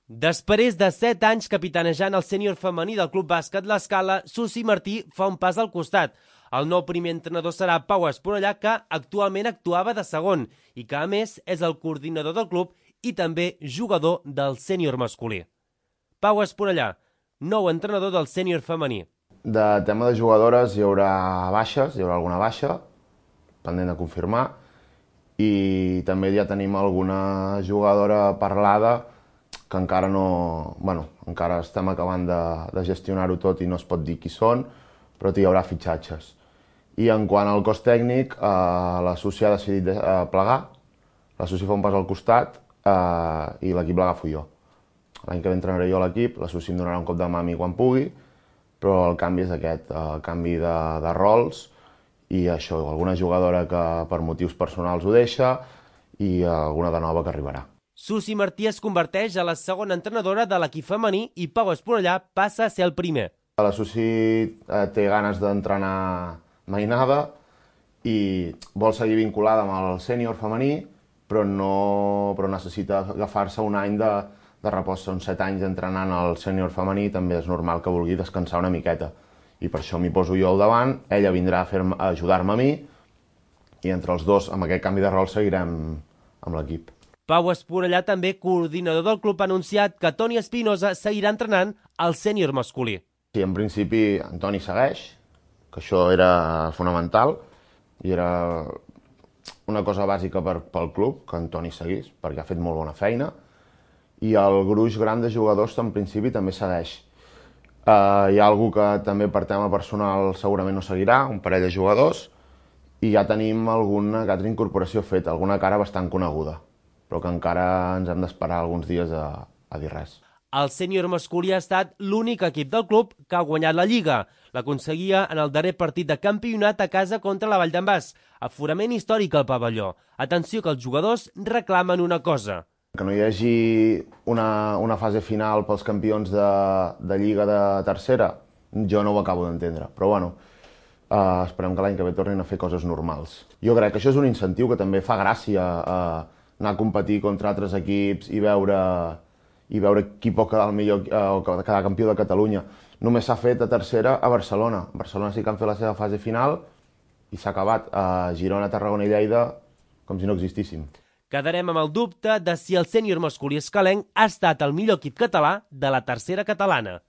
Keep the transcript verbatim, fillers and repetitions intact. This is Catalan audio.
Després de set anys capitanejant el sènior femení del Club Bàsquet L'Escala, Susi Martí fa un pas al costat. El nou primer entrenador serà Pau Esponellà, que actualment actuava de segon i que, a més, és el coordinador del club i també jugador del sènior masculí. Pau Esponellà, nou entrenador del sènior femení. De tema de jugadores hi haurà baixes, hi haurà alguna baixa, pendent de confirmar, i també ja tenim alguna jugadora parlada que encara no... Bueno, encara estem acabant de, de gestionar-ho tot i no es pot dir qui són, però hi haurà fitxatges. I en quant al cos tècnic, eh, la Susi ha decidit de, eh, plegar, la Susi fa un pas al costat eh, i l'equip l'agafo jo. L'any que ve entrenaré jo l'equip, la Susi em donarà un cop de mà a mi quan pugui, però el canvi és aquest, el canvi de, de rols i això, alguna jugadora que per motius personals ho deixa i alguna de nova que arribarà. Susi Martí es converteix a la segona entrenadora de l'equip femení i Pau Esponellà passa a ser el primer. La Susi eh, té ganes d'entrenar mainada i vol seguir vinculada amb el sènior femení, però, no, però necessita agafar-se un any de, de repòs. Són set anys entrenant el sènior femení, també és normal que vulgui descansar una miqueta. I per això m'hi poso jo al davant, ella vindrà a, a ajudar-me a mi i entre els dos, amb aquest canvi de rol, seguirem amb l'equip. Pau Esponellà, també coordinador del club, ha anunciat que Toni Espinosa seguirà entrenant el sènior masculí. Sí, en principi Toni segueix, que això era fonamental i era una cosa bàsica per, pel club, que en Toni seguís, perquè ha fet molt bona feina, i el gruix gran de jugadors en principi també segueix. Uh, hi ha algú que també per tema personal segurament no seguirà, un parell de jugadors, i ja tenim alguna altra incorporació feta, alguna cara bastant coneguda, però que encara ens hem d'esperar alguns dies a, a dir res. El sènior masculí ha estat l'únic equip del club que ha guanyat la Lliga. L'aconseguia en el darrer partit de campionat a casa contra la Vall d'en Bas. Aforament històric al pavelló. Atenció, que els jugadors reclamen una cosa. Que no hi hagi una, una fase final pels campions de, de Lliga de tercera, jo no ho acabo d'entendre, però bueno, uh, esperem que l'any que ve tornin a fer coses normals. Jo crec que això és un incentiu que també fa gràcia uh, anar a competir contra altres equips i veure, i veure qui pot quedar el millor uh, o quedar campió de Catalunya. Només s'ha fet a tercera a Barcelona. A Barcelona sí que han fet la seva fase final i s'ha acabat. A Girona, Tarragona i Lleida com si no existíssim. Quedarem amb el dubte de si el sènior masculí escalenc ha estat el millor equip català de la tercera catalana.